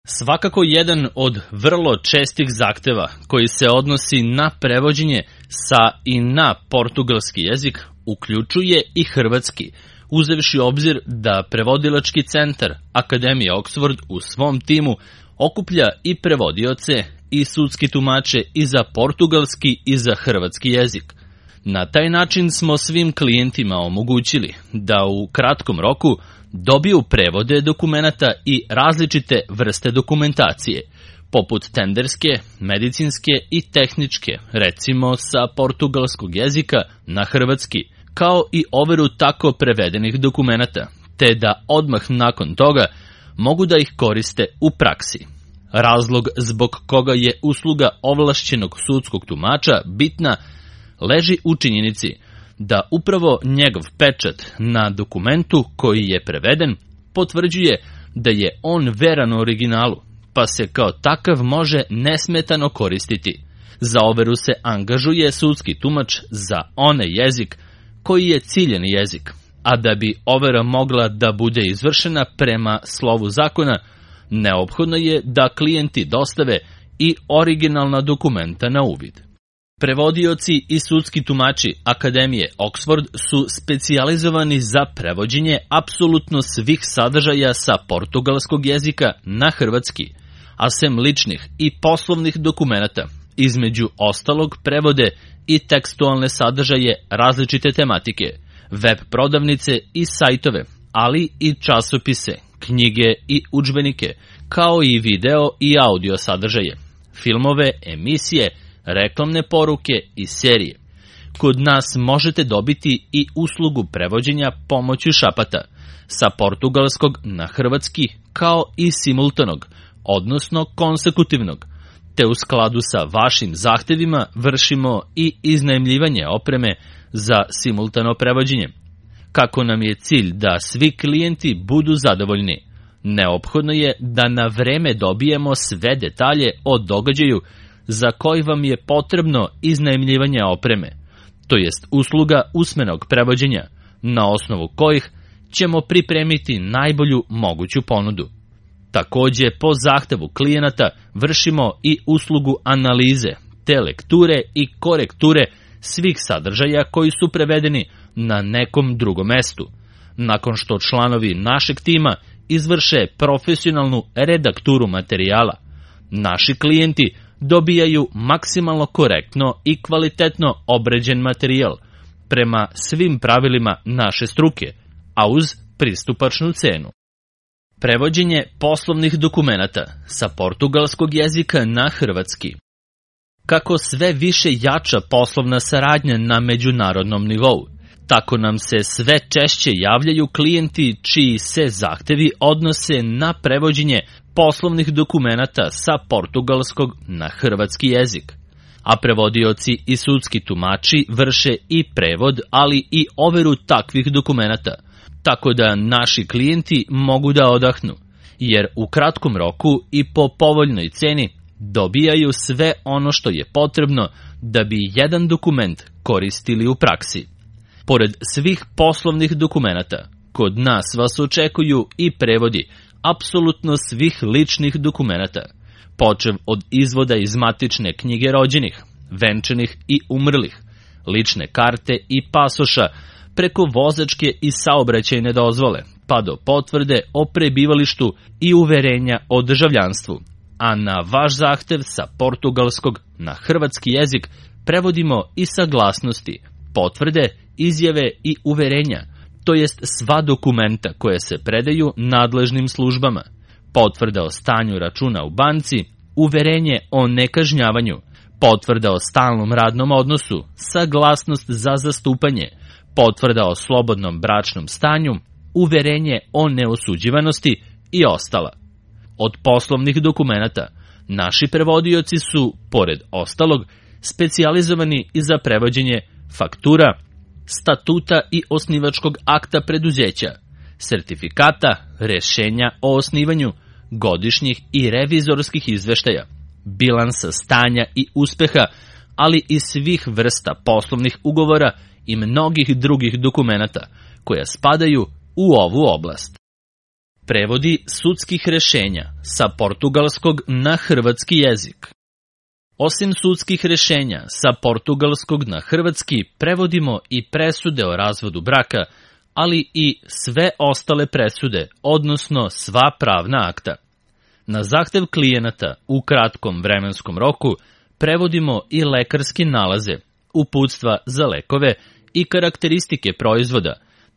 Svakako jedan od vrlo čestih zahteva koji se odnosi na prevođenje sa i na portugalski jezik uključuje i hrvatski, uzevši obzir da prevodilački centar Akademije Oxford u svom timu okuplja i prevodioce i sudski tumače i za portugalski i za hrvatski jezik. Na taj način smo svim klijentima omogućili da u kratkom roku dobiju prevode dokumenata i različite vrste dokumentacije, poput tenderske, medicinske i tehničke, recimo sa portugalskog jezika na hrvatski, kao i overu tako prevedenih dokumenata, te da odmah nakon toga mogu da ih koriste u praksi. Razlog zbog koga je usluga ovlašćenog sudskog tumača bitna leži u činjenici da upravo njegov pečat na dokumentu koji je preveden potvrđuje da je on veran originalu, pa se kao takav može nesmetano koristiti. Za overu se angažuje sudski tumač za onaj jezik koji je ciljeni jezik, a da bi overa mogla da bude izvršena prema slovu zakona, neophodno je da klijenti dostave i originalna dokumenta na uvid. Prevodioci i sudski tumači Akademije Oxford su specijalizovani za prevođenje apsolutno svih sadržaja sa portugalskog jezika na hrvatski, a sem ličnih i poslovnih dokumenata, između ostalog prevode i tekstualne sadržaje različite tematike, web prodavnice i sajtove, ali i časopise, knjige i udžbenike, kao i video i audio sadržaje, filmove, emisije, reklamne poruke i serije. Kod nas možete dobiti i uslugu prevođenja pomoću šapata, sa portugalskog na hrvatski, kao i simultanog, odnosno konsekutivnog, te u skladu sa vašim zahtevima vršimo i iznajmljivanje opreme za simultano prevođenje. Kako nam je cilj da svi klijenti budu zadovoljni, neophodno je da na vreme dobijemo sve detalje o događaju za koji vam je potrebno iznajmljivanje opreme, to jest usluga usmenog prevođenja, na osnovu kojih ćemo pripremiti najbolju moguću ponudu. Takođe, po zahtevu klijenata vršimo i uslugu analize, te lekture i korekture svih sadržaja koji su prevedeni na nekom drugom mestu, nakon što članovi našeg tima izvrše profesionalnu redakturu materijala. Naši klijenti dobijaju maksimalno korektno i kvalitetno obrađen materijal prema svim pravilima naše struke, a uz pristupačnu cenu. Prevođenje poslovnih dokumenata sa portugalskog jezika na hrvatski. Kako sve više jača poslovna saradnja na međunarodnom nivou, tako nam se sve češće javljaju klijenti čiji se zahtevi odnose na prevođenje poslovnih dokumenata sa portugalskog na hrvatski jezik. A prevodioci i sudski tumači vrše i prevod, ali i overu takvih dokumenata, tako da naši klijenti mogu da odahnu, jer u kratkom roku i po povoljnoj ceni dobijaju sve ono što je potrebno da bi jedan dokument koristili u praksi. Pored svih poslovnih dokumenata, kod nas vas očekuju i prevodi apsolutno svih ličnih dokumenata, počev od izvoda iz matične knjige rođenih, venčanih i umrlih, lične karte i pasoša, preko vozačke i saobraćajne dozvole, pa do potvrde o prebivalištu i uverenja o državljanstvu. A na vaš zahtev sa portugalskog na hrvatski jezik prevodimo i saglasnosti, potvrde, izjave i uverenja, to jest sva dokumenta koje se predaju nadležnim službama, potvrda o stanju računa u banci, uverenje o nekažnjavanju, potvrda o stalnom radnom odnosu, saglasnost za zastupanje, potvrda o slobodnom bračnom stanju, uverenje o neosuđivanosti i ostala. Od poslovnih dokumenata, naši prevodioci su, pored ostalog, specijalizovani i za prevođenje faktura, statuta i osnivačkog akta preduzeća, sertifikata, rešenja o osnivanju, godišnjih i revizorskih izveštaja, bilansa stanja i uspeha, ali i svih vrsta poslovnih ugovora i mnogih drugih dokumenata koja spadaju u ovu oblast. Prevodi sudskih rešenja sa portugalskog na hrvatski jezik. Osim sudskih rešenja sa portugalskog na hrvatski, prevodimo i presude o razvodu braka, ali i sve ostale presude, odnosno sva pravna akta. Na zahtev klijenata u kratkom vremenskom roku prevodimo i lekarske nalaze, uputstva za lekove i karakteristike proizvoda,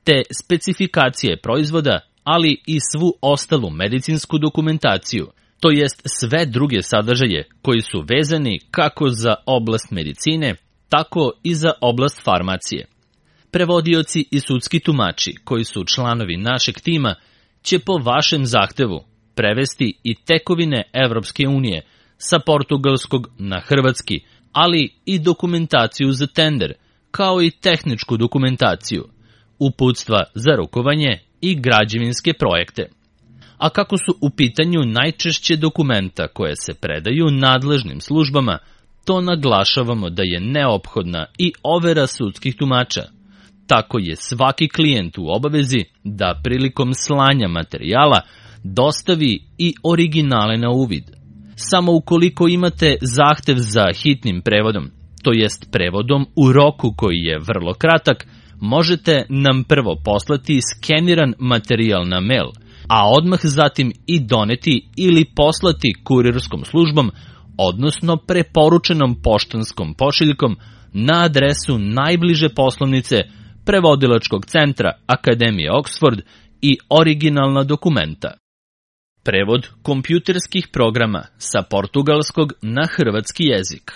te specifikacije proizvoda, ali i svu ostalu medicinsku dokumentaciju, to jest sve druge sadržaje koji su vezani kako za oblast medicine, tako i za oblast farmacije. Prevodioci i sudski tumači, koji su članovi našeg tima, će po vašem zahtevu prevesti i tekovine Evropske unije sa portugalskog na hrvatski, ali i dokumentaciju za tender, kao i tehničku dokumentaciju, uputstva za rukovanje i građevinske projekte. A kako su u pitanju najčešće dokumenta koje se predaju nadležnim službama, to naglašavamo da je neophodna i overa sudskih tumača. Tako je svaki klijent u obavezi da prilikom slanja materijala dostavi i originale na uvid. Samo ukoliko imate zahtev za hitnim prevodom, to jest prevodom u roku koji je vrlo kratak, možete nam prvo poslati skeniran materijal na mail, a odmah zatim i doneti ili poslati kurirskom službom, odnosno preporučenom poštanskom pošiljkom na adresu najbliže poslovnice Prevodilačkog centra Akademije Oxford i originalna dokumenta. Prevod kompjuterskih programa sa portugalskog na hrvatski jezik.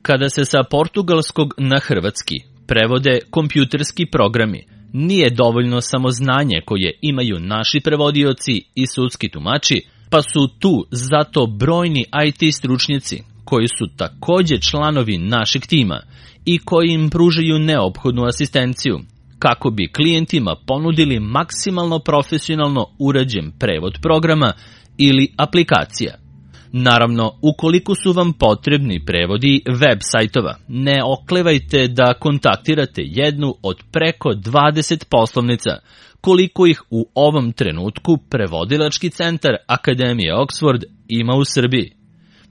Kada se sa portugalskog na hrvatski prevode kompjuterski programi, nije dovoljno samo znanje koje imaju naši prevodioci i sudski tumači, pa su tu zato brojni IT stručnjaci koji su takođe članovi našeg tima i koji im pružaju neophodnu asistenciju, kako bi klijentima ponudili maksimalno profesionalno urađen prevod programa ili aplikacija. Naravno, ukoliko su vam potrebni prevodi web sajtova, ne oklevajte da kontaktirate jednu od preko 20 poslovnica, koliko ih u ovom trenutku Prevodilački centar Akademije Oxford ima u Srbiji.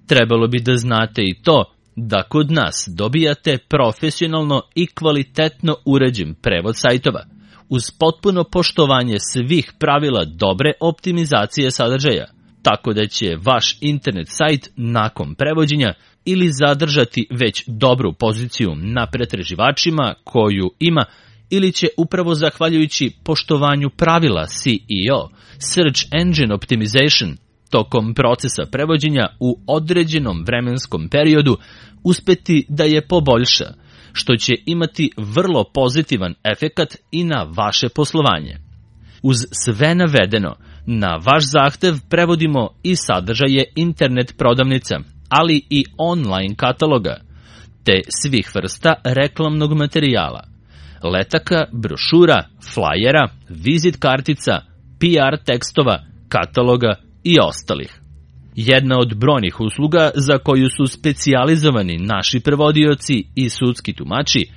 Trebalo bi da znate i to da kod nas dobijate profesionalno i kvalitetno uređen prevod sajtova, uz potpuno poštovanje svih pravila dobre optimizacije sadržaja, tako da će vaš internet sajt nakon prevođenja ili zadržati već dobru poziciju na pretraživačima koju ima, ili će upravo zahvaljujući poštovanju pravila SEO, Search Engine Optimization, tokom procesa prevođenja u određenom vremenskom periodu uspeti da je poboljša, što će imati vrlo pozitivan efekat i na vaše poslovanje. Uz sve navedeno, na vaš zahtev prevodimo i sadržaje internet prodavnica, ali i online kataloga, te svih vrsta reklamnog materijala, letaka, brošura, flajera, vizit kartica, PR tekstova, kataloga i ostalih. Jedna od brojnih usluga za koju su specijalizovani naši prevodioci i sudski tumači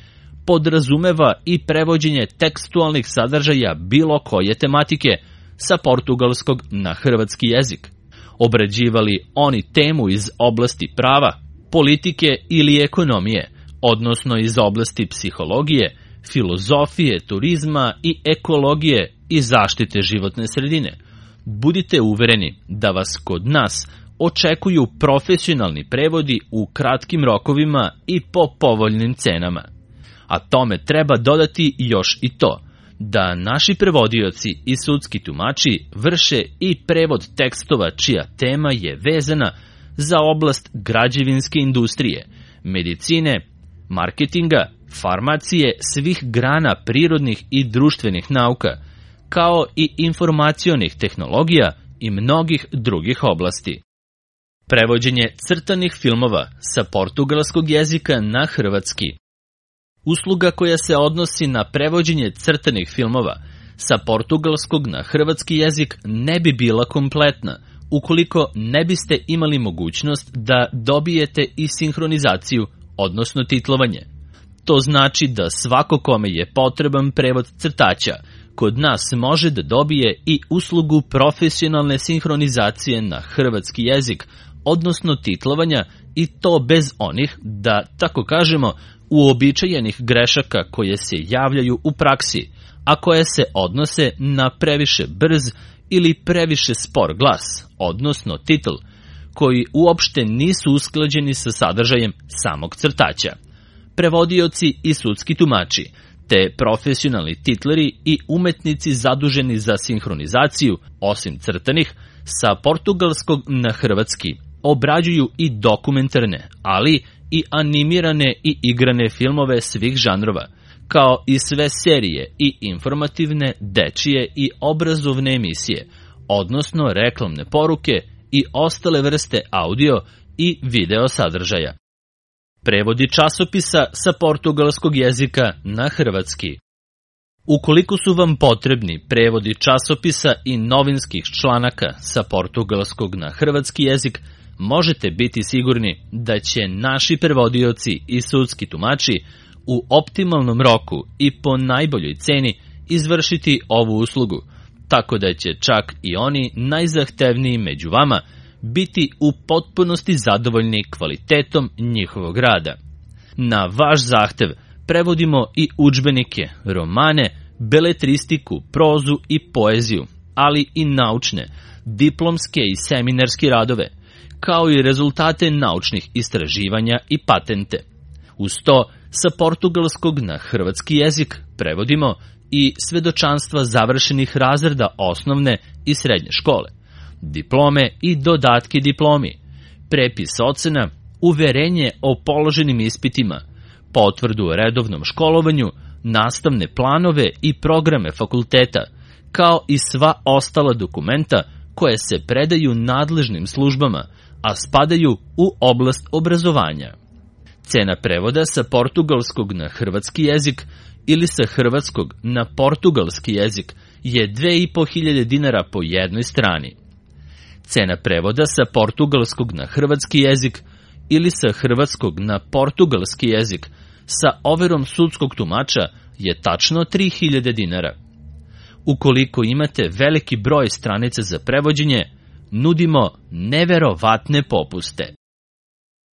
podrazumeva i prevođenje tekstualnih sadržaja bilo koje tematike sa portugalskog na hrvatski jezik. Obrađivali oni temu iz oblasti prava, politike ili ekonomije, odnosno iz oblasti psihologije, filozofije, turizma i ekologije i zaštite životne sredine. Budite uvereni da vas kod nas očekuju profesionalni prevodi u kratkim rokovima i po povoljnim cenama. A tome treba dodati još i to, da naši prevodioci i sudski tumači vrše i prevod tekstova čija tema je vezana za oblast građevinske industrije, medicine, marketinga, farmacije, svih grana prirodnih i društvenih nauka, kao i informacionih tehnologija i mnogih drugih oblasti. Prevođenje crtanih filmova sa portugalskog jezika na hrvatski. Usluga koja se odnosi na prevođenje crtanih filmova sa portugalskog na hrvatski jezik ne bi bila kompletna ukoliko ne biste imali mogućnost da dobijete i sinhronizaciju, odnosno titlovanje. To znači da svako kome je potreban prevod crtača, kod nas može da dobije i uslugu profesionalne sinhronizacije na hrvatski jezik, odnosno titlovanja, i to bez onih, da tako kažemo, uobičajenih grešaka koje se javljaju u praksi, a koje se odnose na previše brz ili previše spor glas, odnosno titl, koji uopšte nisu usklađeni sa sadržajem samog crtaća. Prevodioci i sudski tumači, te profesionalni titleri i umetnici zaduženi za sinhronizaciju, osim crtanih, sa portugalskog na hrvatski, obrađuju i dokumentarne, ali i animirane i igrane filmove svih žanrova, kao i sve serije i informativne, dečije i obrazovne emisije, odnosno reklamne poruke i ostale vrste audio i video sadržaja. Prevodi časopisa sa portugalskog jezika na hrvatski. Ukoliko su vam potrebni prevodi časopisa i novinskih članaka sa portugalskog na hrvatski jezik, možete biti sigurni da će naši prevodioci i sudski tumači u optimalnom roku i po najboljoj ceni izvršiti ovu uslugu, tako da će čak i oni najzahtevniji među vama biti u potpunosti zadovoljni kvalitetom njihovog rada. Na vaš zahtev prevodimo i udžbenike, romane, beletristiku, prozu i poeziju, ali i naučne, diplomske i seminarske radove, kao i rezultate naučnih istraživanja i patente. Uz to, sa portugalskog na hrvatski jezik prevodimo i svedočanstva završenih razreda osnovne i srednje škole, diplome i dodatke diplomi, prepis ocena, uverenje o položenim ispitima, potvrdu o redovnom školovanju, nastavne planove i programe fakulteta, kao i sva ostala dokumenta koje se predaju nadležnim službama, a spadaju u oblast obrazovanja. Cena prevoda sa portugalskog na hrvatski jezik ili sa hrvatskog na portugalski jezik je 2.500 dinara po jednoj strani. Cena prevoda sa portugalskog na hrvatski jezik ili sa hrvatskog na portugalski jezik sa overom sudskog tumača je tačno 3.000 dinara. Ukoliko imate veliki broj stranica za prevođenje, nudimo neverovatne popuste.